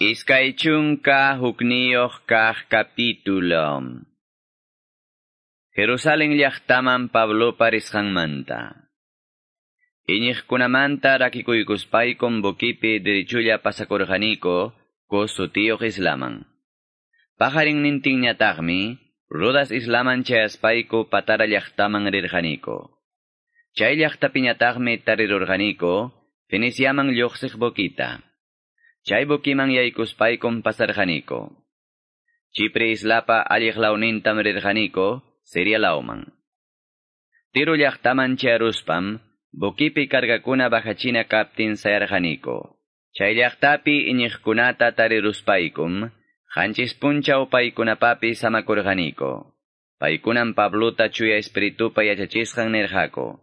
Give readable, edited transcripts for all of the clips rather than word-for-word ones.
21 kaq capítulo. Jerusalén llaqtaman Pablopa risqanmanta. Iñiqkunamanta rakikuykuspaykum bukipi derechulla pasakurqaniko Cos sutiyuq islaman. Paqarinnintinñataqmi Rodas islaman chayaspayku Patara llaqtaman rirqaniko. Chay llaqtapiñataqmi tarirurqaniko Feniciaman lluqsiq bukita. Chay bukiman yaykuspaykum pasarqaniko. Chipre islapa alliq lawnintam rirqaniko Siria lawman. Tiro llaqtaman chayaruspam bukipi cargakuna bajachina kaptin sayarqaniko. Chay llaqtapi iñiqkunata tariruspaykum, qanchis punchaw paykunapapi samakurqaniko. Paykunam Pablota chuya espiritupa yachachisqan nirqaku.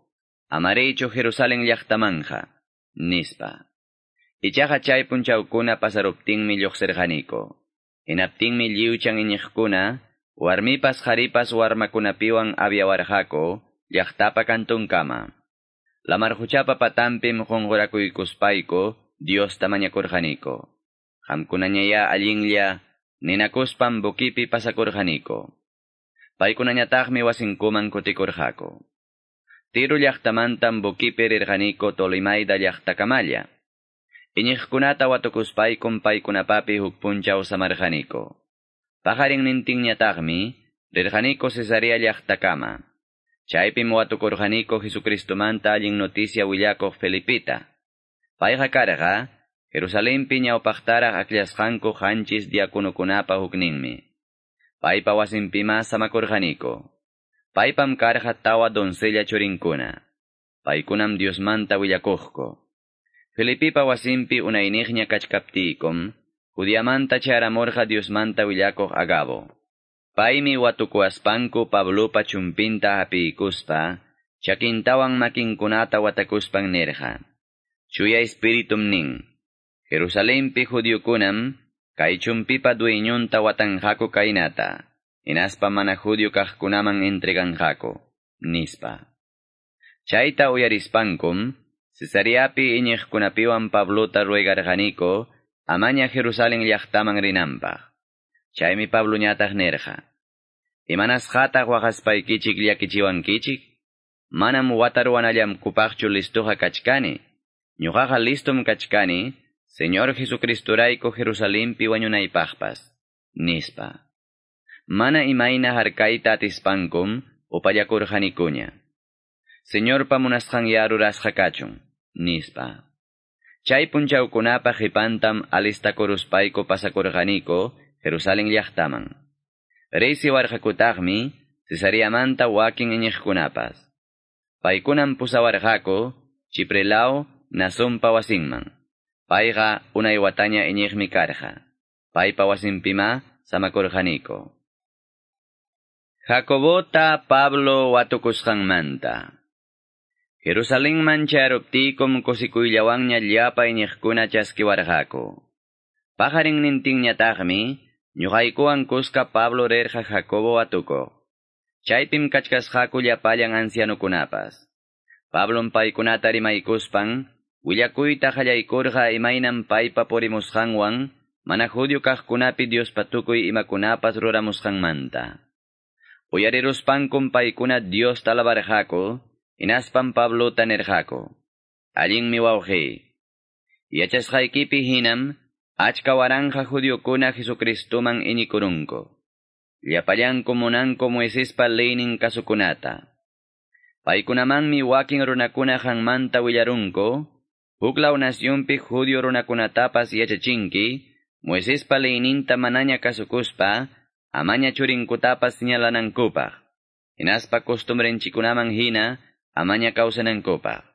Amariychu Jerusalén llaqtamanja, nispa. Ichaqa chay punchawkuna pasaruptinmi lluqsirqaniko. Hinaptinmi lliwchan iñiqkuna, warmipas qharipas warmakunapiwan aviawarqaku llaqtapa kantunkama. Lamar quchapa patanpim qunqurakuykuspayku Diosta mañakurqaniko. Qamkunañayá allinlla ninakuspam bukipi pasakurqaniko. Paykunañataqmi wasinkuman kutikurqaku. Tiro llaqtamantam bukipi rirqaniko Tolimaida llaqtakamalla. Iñiqkunata watukuspaykum paykunapapi huk punchaw samarqaniko. Paqarinnintinñataqmi rirqaniko Cesarea llaqtakama. Chaypim watukurqaniko Jesucristomanta allin noticia willakuq Felipita. Payqa karqa Jerusalenpi ñawpaqtaraq akllashqanku qanchis diakonokunapa hukninmi. Paypa wasinpima samakurqaniko. Paypam karqa tawa doncella churinkuna. Paykunam Diosmanta willakuqku. Felipipa wasinpi unayniqña kachkaptiykum, Judiamanta charamurqa Diosmanta willakuq Agabo. Paymi watukuaspanku Pablopa chumpinta hapiykuspa, chakintawan makinkunata watakuspan nirqa. Chuya espiritum nin. Jerusalenpi judiokunam, kay chumpipa dueñunta watanqaku kaynata, hinaspa mana judio kaqkunaman entreganqaku, nispa. Chayta uyarispankum, Cesareapi iñiqkunapiwan Pablota ruegarqaniko, amaña Jerusalén llaqtaman rinanpaq. Chaymi Pabloñataq nirqa. Imanasqataq waqaspaykichik llakichiwankichik? Manam wataruwanallamkupaqchu listuqa kachkani. Ñuqaqa listum kachkani, Señor Jesucristorayku Jerusalenpi wañunaypaqpas, nispa. Mana imayna harkayta atispankum upallakurqanikuña. Señorpa munasqanya rurasqa kachun, nispa. Chay punchawkunapa qipantam alistakuruspayku pasakurqaniko Jerusalén llaqtaman. Riysiwarqakutaqmi Cesariamanta wakin iñiqkunapas. Paykunam pusawarqaku Chiprelaw Nasumpa wasinman. Payqa unay wataña iñiqmi karqa. Paypa wasinpima samakurqaniko. Jacobota Pablo watukusqanmanta. Jerusalenman chayaruptiykum kusikuyllawanña llapa iñiqkuna chaskiwarqaku. Paqarinnintinñataqmi ñuqaykuwan kuska Pablo rirqa Jacobo watukuq. Chaypim kachkasqaku llapallan ancianukunapas. Pablom paykunata rimaykuspan, willakuyta qallaykurqa imaynam paypa purimusqanwan, mana judio kaqkunapi Diospa tukuy imakunapas ruramusqanmanta. Uyariruspankum paykuna Diosta alabarqaku, hinaspam Pablota nirqaku. Allinmi wawqiy. Yachasqaykipi hinam, achka waranja judiokuna Jesucristoman iñikurunku. Llapallanku munanku Moisespa leynin kasukunata. Paykunamanmi wakin runakuna qanmanta willarunku, huklaw nacionpi judio runakunatapas yachachinki, Moisespa leyninta manaña kasukuspa, amaña churinkutapas señalanankupaq. Hinaspa costumbrenchikunaman hina, amaña kawsanankupaq.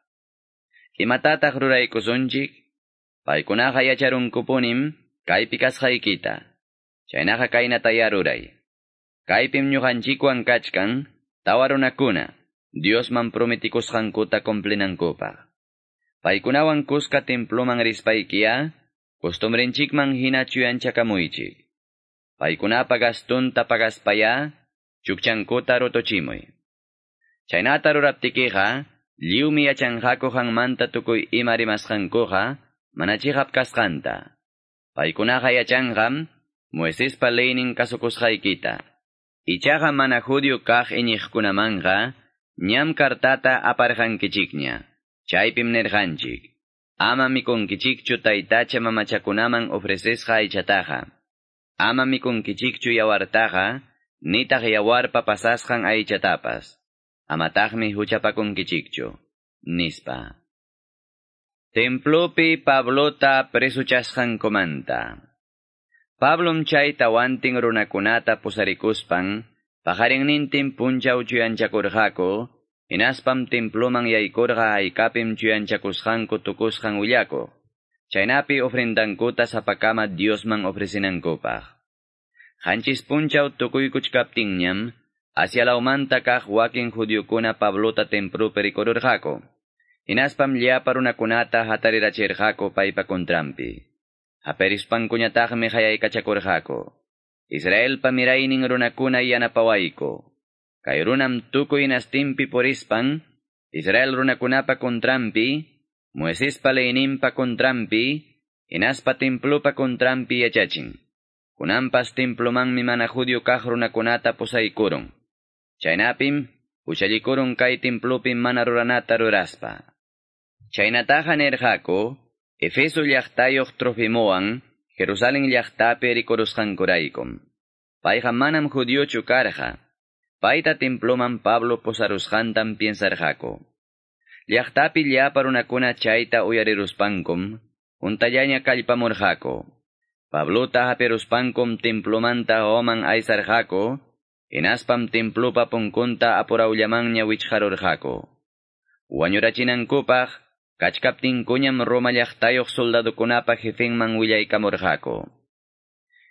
Imatataq ruraykusunchik? Paykunaqa yacharunkupunim kaypi kasqaykita. Chaynaqa kaynataya ruray. Kaypim ñuqanchikwan kachkan, tawa runakuna, Diosman prometikusqankuta cumplinankupaq. Paykunawan kuska temploman rispaykiya, costumbrenchikman hina chuyanchakamuychik. Paykunapa gastunta pagaspaya, chukchankuta rutuchimuy. Chaynata ruraptikiqa, lliwmi yachanqaku qanmanta tukuy ima rimasqankuqa, mana chiqap kasqanta. Paykunaqa yachanqam Moisespa leynin kasukusqaykita. Ichaqa mana judío kaq iñiqkunamanqa ñam kartata aparqankichikña. Chaypim nirqanchik. Ama mikunkichikchu taytacha mamachakunaman ofrecesqa aychataqa. Ama mikunkichikchu yawartaqa, nitaq yawarpa pasasqan aychatapas. Amataqmi huchapakunkichikchu, nispa. Templopi Pablota presuchasqankumanta. Pablom chay tawantin runakunata pusarikuspan, paqarinnintin punchaw chuyanchakurqaku, hinaspam temploman yaykurqa haykapim chuyanchakusqanku tukusqan willakuq. Chaynapi ofrendankuta sapakama Diosman ofrecinankupaq. Qanchis punchaw tukuykuchkaptinñam, Asia lawmanta kaq wakin judiokuna Pablota templopi rikururqaku. Hinaspam llapa runakunata hatarirachirqaku paypa kontrampi. Haperispankuñataqmi hayaykachakurqaku. Israelpa miraynin runakuna yanapawayku. Kay runam tukuy nastinpi purispan, Israel runakunapa kontrampi, Moisespa leyninpa kontrampi, hinaspa templopa kontrampi yachachin. Kunanpas templomanmi mana judío kaq runakunata pusaykurun. Chaynapim, huchallikurun kay templopi mana ruranata ruraspa. Chaynataqa nirqaku, Efeso llaqtayuq Trofimowan, Jerusalén llaqtapi rikurusqankuraykum. Payqa manam judiochu karqa. Payta temploman Pablo pusarusqantam piensarqaku. Llaqtapi llapa runakuna chayta uyariruspankum, huntallaña kallpamurqaku. Pablota hapiruspankum templomanta hawaman aysarqaku, hinaspam templopa punkunta apurawllamanña wichqarurqaku. Wañurachinankupaq, kachkaptinkuñam Roma llaqtayuq soldadokunapa jefenman willaykamurqaku.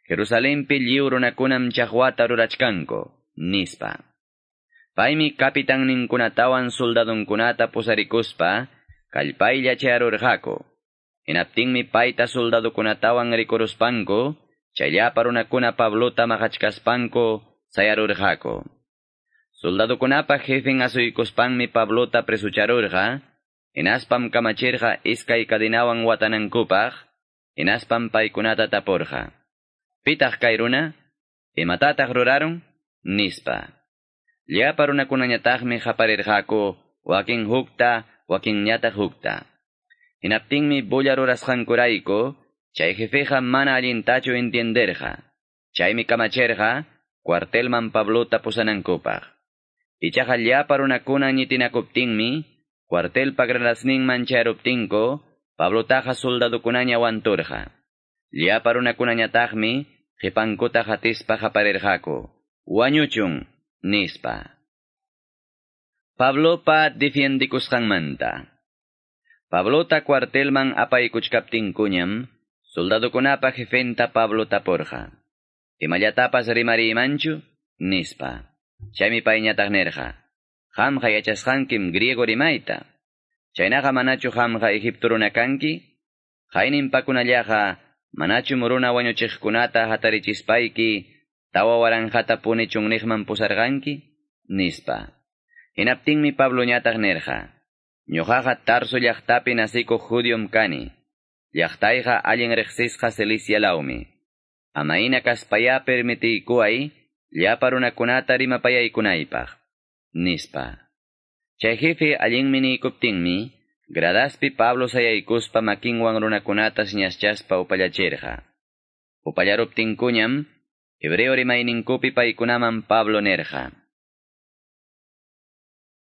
Jerusalenpi lliw runakunam chaqwata rurachkanku, nispa. Paymi kapitanninkunatawan soldadonkunata pusarikuspa, kallpaylla chayarurqaku. Hinaptinmi payta soldadokunatawan rikuruspanku, chay llapa runakuna Pablota maqachkaspanku sayarurqaku. Soldadokunapa jefen asuykuspanmi Pablota presucharurqa, hinaspam kamachirqa iskay kadinawan watanankupaq, hinaspam paykunata tapurqa. Pitaq kay runa? Imatataq rurarun? Nispa. Llapa runakunañataqmi qaparirqaku, wakin hukta, wakinñataq hukta. Hinaptinmi bulla rurasqankurayku, chay jefeqa mana allintachu entienderqa. Chaymi kamachirqa, cuartelman Pablota pusanankupaq. Ichaqa llapa runakuna ñitinakuptinmi, cuartelpa gradasninman chayruptinku, Pablotaqa soldadokunaña wanturqa. Llapa runakunañataqmi, qipankuta hatispa qaparirqaku. Wañuchun, nispa. Pablopa defiendikusqanmanta. Pablota cuartelman apaykuchkaptinkuñam, soldadokunapa jefenta Pablo tapurqa. Imallatapas rimariymanchu? Nispa. Chaymi payñataq nirqa. Qamqa yachasqankim griego rimayta. Chaynaqa manachu qamqa Egipto runa kanki? Qayninpakunallaqa manachum runa wañuchiqkunata hatarichispayki 4000 puni chunniqman pusarqanki? Nispa. Hinaptinmi Pabloñataq nirqa. Ñuqaqa Tarso llaqtapi nasikuq judiom kani. Llaqtayqa allin riqsisqa Cilicia lawmi. Amayna kaspayá permitiykuway llapa runakunata rimapayaykunaypaq. Nispa. Chay jefe allinmi niykuptinmi, gradaspi Pablo sayaykuspa makinwan runakunata siñaschaspa upallachirqa. Upallaruptinkuñam, hebreo rimayninkupi paykunaman Pablo nirqa.